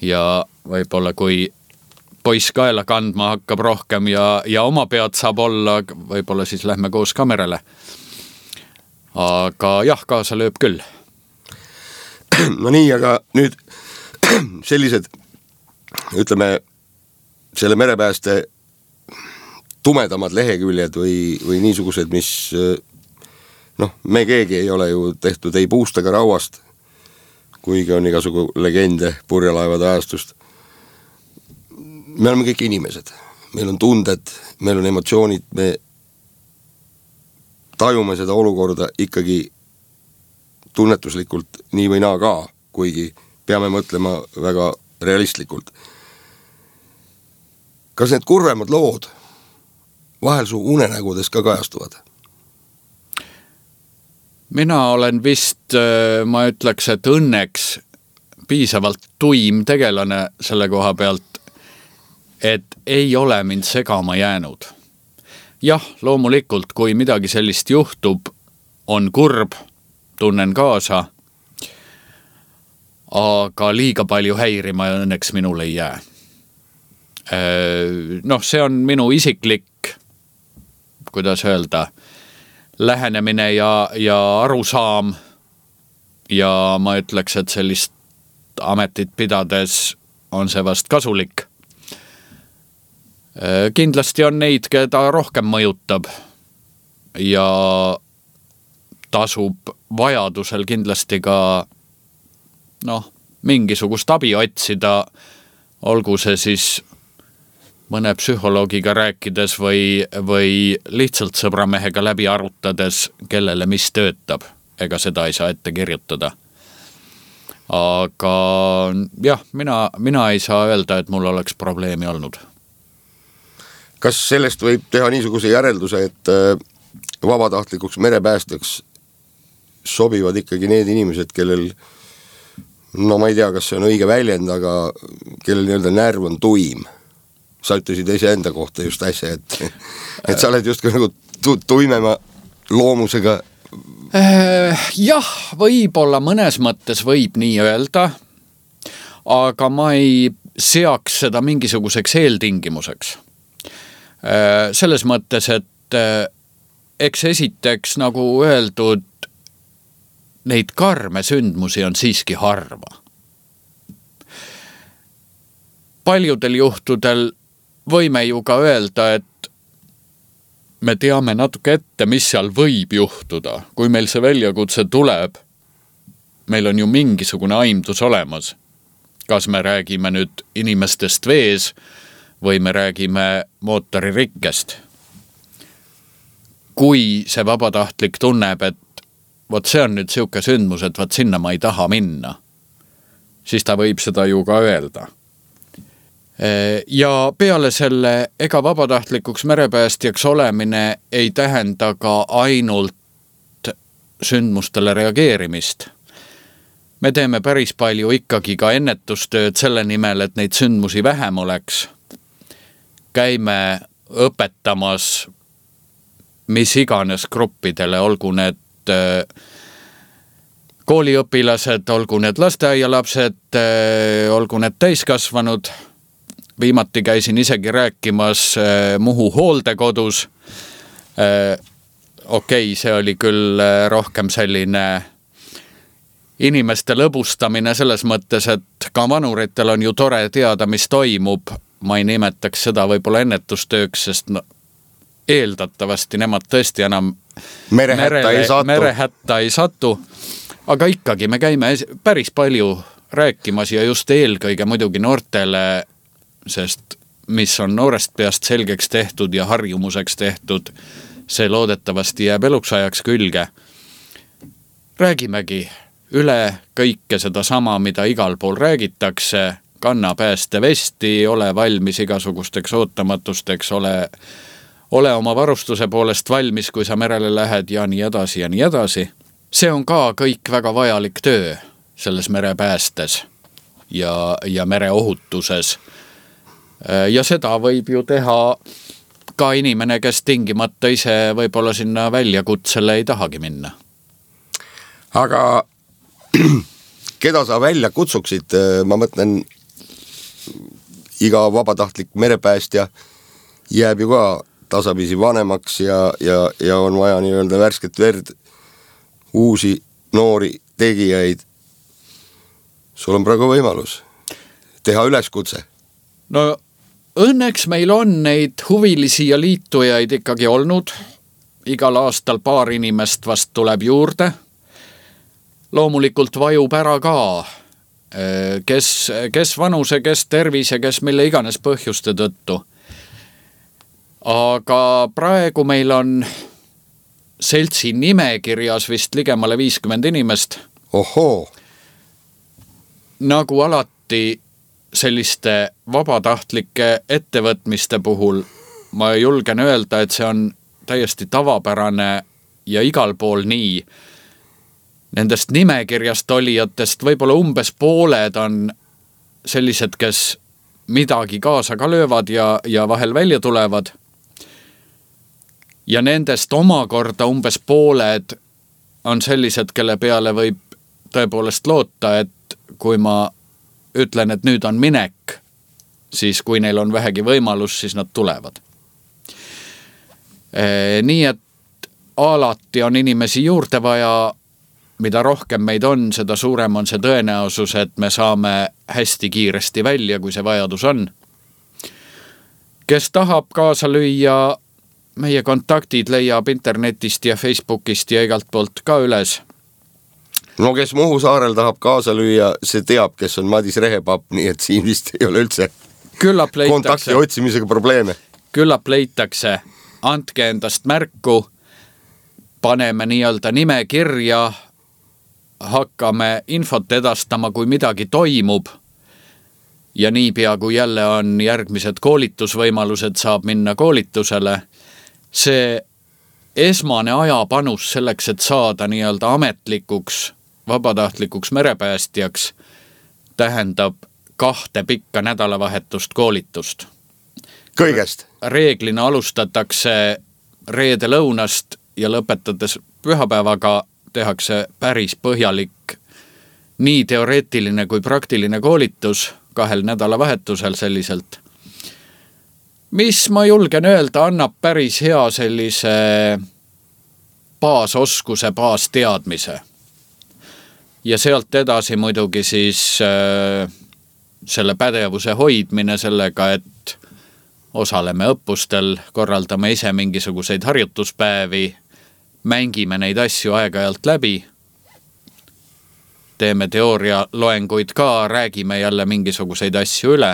Ja võib-olla kui poiss kaela kandma hakkab rohkem ja, ja oma pead saab olla, võib-olla siis lähme koos kamerale. Aga jah, kaasa lööb küll. No nii, aga nüüd sellised, ütleme, selle merepääste tumedamad leheküljed või, või niisugused, mis noh, me keegi ei ole ju tehtud ei puust ega rauast, kuigi on igasugu legende purjelaevade ajastust. Me oleme kõik inimesed, meil on tunded, meil on emotsioonid, me tajume seda olukorda ikkagi tunnetuslikult nii või naa ka, kuigi peame mõtlema väga realistlikult. Kas need kurvemad lood vahel su unenägudes ka kajastuvad? Mina olen vist, ma ütleks, et õnneks piisavalt tuim tegelane selle koha pealt, et ei ole mind segama jäänud. Jah, loomulikult, kui midagi sellist juhtub, on kurb, tunnen kaasa, aga liiga palju häirima õnneks minul ei jää. Noh, see on minu isiklik, kuidas öelda, lähenemine ja, ja arusaam ja ma ütleks, et sellist ametit pidades on see vast kasulik. Kindlasti on neid, keda rohkem mõjutab ja tasub vajadusel kindlasti ka noh, mingisugust abi otsida, olgu see siis mõne psühholoogiga rääkides või, või lihtsalt sõbramehega läbi arutades, kellele mis töötab. Ega seda ei saa ette kirjutada. Aga jah, mina, mina ei saa öelda, et mul oleks probleemi olnud. Kas sellest võib teha niisuguse järelduse, et vabatahtlikuks merepäästjaks sobivad ikkagi need inimesed, kellel, no ma ei tea, kas see on õige väljend, aga kellel nii-öelda närv on tuim? Sa ütlesid ise enda kohta just äsja, et, et sa oled just nagu tu- tuimema loomusega. Jah, võib-olla mõnes mõttes võib nii öelda, aga ma ei seaks seda mingisuguseks eeltingimuseks. Selles mõttes, et eks esiteks nagu öeldud, neid karme sündmusi on siiski harva. Paljudel juhtudel võime ju ka öelda, et me teame natuke ette, mis seal võib juhtuda. Kui meil see väljakutse tuleb, meil on ju mingisugune aimdus olemas. Kas me räägime nüüd inimestest vees või me räägime mootoririkkest. Kui see vabatahtlik tunneb, et vot see on nüüd siuke sündmus, et vot sinna ma ei taha minna, siis ta võib seda ju ka öelda. Ja peale selle, ega vabatahtlikuks merepäästjaks olemine ei tähenda ka ainult sündmustele reageerimist. Me teeme päris palju ikkagi ka ennetustööd selle nimel, et neid sündmusi vähem oleks. Käime õpetamas mis iganes gruppidele, olgu need kooliõpilased, olgu need lasteaialapsed, olgu need täiskasvanud. Viimati käisin isegi rääkimas Muhu hooldekodus. Okei, see oli küll rohkem selline inimeste lõbustamine selles mõttes, et ka vanuritel on ju tore teada, mis toimub. Ma ei nimetaks seda võib-olla ennetustööks, sest no, eeldatavasti nemad tõesti enam merehätta ei satu. merehätta ei satu. Aga ikkagi me käime päris palju rääkimas ja just eelkõige muidugi noortele, sest mis on noorest peast selgeks tehtud ja harjumuseks tehtud, see loodetavasti jääb eluks ajaks külge. Räägimegi üle kõike seda sama, mida igal pool räägitakse, kanna päästevesti, ole valmis igasugusteks ootamatusteks, ole, ole oma varustuse poolest valmis, kui sa merele lähed ja nii edasi ja nii edasi. See on ka kõik väga vajalik töö selles merepäästes ja, ja mereohutuses. Ja seda võib ju teha ka inimene, kes tingimata ise võib-olla sinna väljakutsele ei tahagi minna. Aga keda sa välja kutsuksid? Ma mõtlen, iga vabatahtlik merepäästja jääb ju ka tasapisi vanemaks ja, ja, ja on vaja nii-öelda värsket verd, uusi noori tegijaid. Sul on praegu võimalus teha üleskutse. No õnneks meil on neid huvilisi ja liitujaid ikkagi olnud. Igal aastal paar inimest vast tuleb juurde. Loomulikult vajub ära ka, kes, kes vanuse, kes tervise, kes mille iganes põhjuste tõttu. Aga praegu meil on seltsi nimekirjas vist ligemale viiskümmend inimest. Ohoo! Nagu alati selliste vabatahtlike ettevõtmiste puhul ma julgen öelda, et see on täiesti tavapärane ja igal pool nii. Nendest nimekirjast olijatest võib-olla umbes pooled on sellised, kes midagi kaasa ka löövad ja, ja vahel välja tulevad. Ja nendest omakorda umbes pooled on sellised, kelle peale võib tõepoolest loota, et kui ma ütlen, et nüüd on minek, siis kui neil on vähegi võimalus, siis nad tulevad. E, nii et alati on inimesi juurde vaja, mida rohkem meid on, seda suurem on see tõenäosus, et me saame hästi kiiresti välja, kui see vajadus on. Kes tahab kaasa lüüa, meie kontaktid leiab internetist ja Facebookist ja igalt poolt ka üles. no kes Muhu saarel tahab kaasa lüüa, see teab, kes on Madis Rehepapp, nii et siin vist ei ole üldse küllap leitakse, kontakti otsimisega probleeme. Küllap leitakse, andke endast märku, paneme nii-öelda nime kirja, hakkame infot edastama, kui midagi toimub ja niipea, kui jälle on järgmised koolitusvõimalused, saab minna koolitusele. See esmane ajapanus selleks, et saada nii-öelda ametlikuks, vabatahtlikuks merepäästjaks, tähendab kahte pikka nädalavahetust koolitust. Kõigest? Reeglina alustatakse reede lõunast ja lõpetades pühapäevaga tehakse päris põhjalik nii teoreetiline kui praktiline koolitus kahel nädalavahetusel selliselt. Mis ma julgen öelda, annab päris hea sellise baasoskuse, baasteadmise. Ja sealt edasi muidugi siis äh, selle pädevuse hoidmine sellega, et osaleme õppustel, korraldame ise mingisuguseid harjutuspäevi, mängime neid asju aeg-ajalt läbi, teeme teooria loenguid ka, räägime jälle mingisuguseid asju üle,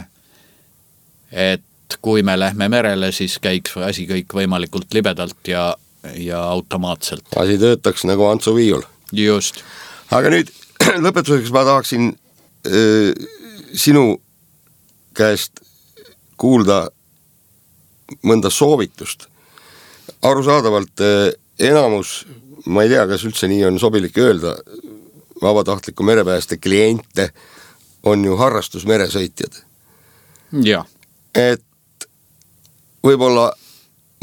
et kui me lähme merele, siis käiks asi kõik võimalikult libedalt ja, ja automaatselt. Asi töötaks nagu Antsu Viiul. Just. Aga nüüd lõpetuseks ma tahaksin äh, sinu käest kuulda mõnda soovitust. Arusaadavalt äh, enamus, ma ei tea, kas üldse nii on sobilik öelda, vabatahtliku merepääste kliente on ju harrastus meresõitjad. Ja. Et võib-olla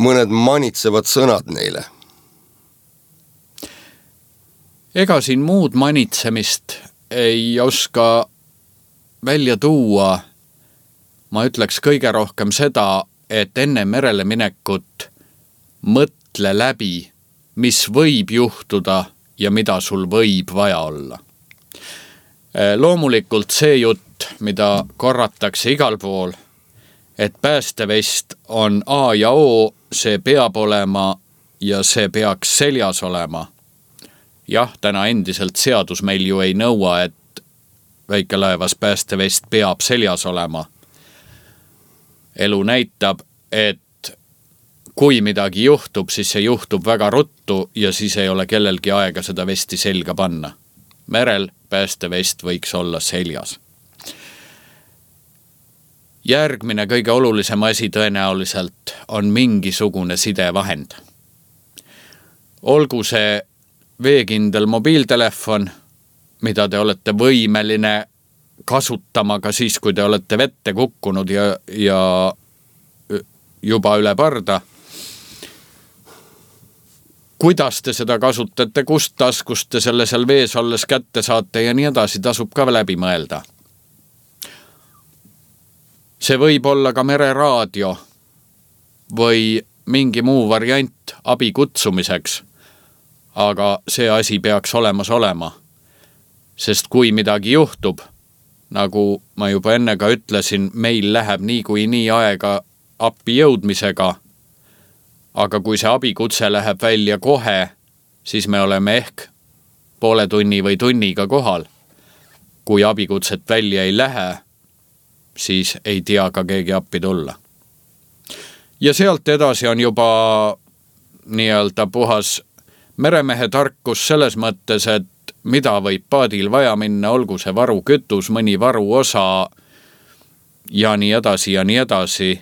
mõned manitsevad sõnad neile. Ega siin muud manitsemist ei oska välja tuua. Ma ütleks kõige rohkem seda, et enne merele minekut mõtle läbi, mis võib juhtuda ja mida sul võib vaja olla. Loomulikult see jutt, mida korratakse igal pool, et päästevest on A ja O, see peab olema ja see peaks seljas olema. Jah, täna endiselt seadus meil ju ei nõua, et väikelaevas päästevest peab seljas olema. Elu näitab, et kui midagi juhtub, siis see juhtub väga ruttu ja siis ei ole kellelgi aega seda vesti selga panna. Merel päästevest võiks olla seljas. Järgmine kõige olulisem asi tõenäoliselt on mingisugune sidevahend. Olgu see veekindel mobiiltelefon, mida te olete võimeline kasutama ka siis, kui te olete vette kukkunud ja, ja juba üle parda. Kuidas te seda kasutate, kust taskust te selle seal vees olles kätte saate ja nii edasi, tasub ka läbi mõelda. See võib olla ka mereraadio või mingi muu variant abi kutsumiseks, aga see asi peaks olemas olema. Sest kui midagi juhtub, nagu ma juba enne ka ütlesin, meil läheb nii kui nii aega appi jõudmisega, aga kui see abikutse läheb välja kohe, siis me oleme ehk poole tunni või tunniga kohal. Kui abikutset välja ei lähe, siis ei tea ka keegi appi tulla. Ja sealt edasi on juba nii-öelda puhas meremehe tarkus selles mõttes, et mida võib paadil vaja minna, olgu see varu kütus, mõni varu osa ja nii edasi ja nii edasi,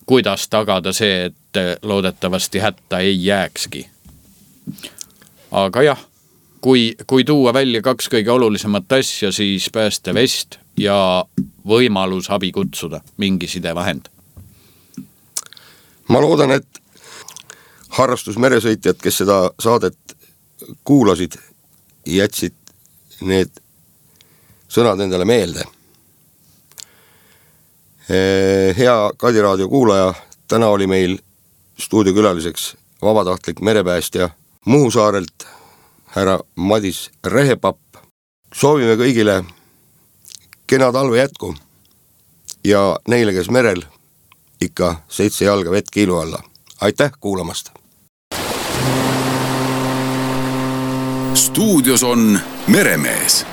kuidas tagada see, et loodetavasti hätta ei jääkski. Aga jah, kui, kui tuua välja kaks kõige olulisemat asja, siis päästevest ja võimalus abi kutsuda, mingi sidevahend. Ma loodan, et harrastus meresõitjad, kes seda saadet kuulasid, jätsid need sõnad endale meelde. Hea Kadi raadio kuulaja, täna oli meil stuudiokülaliseks vabatahtlik merepäästja Muhu saarelt, härra Madis Rehepapp. Soovime kõigile kena talve jätku ja neile, kes merel, ikka seitse jalga vett kiilu alla. Aitäh kuulamast! stuudios on Meremees.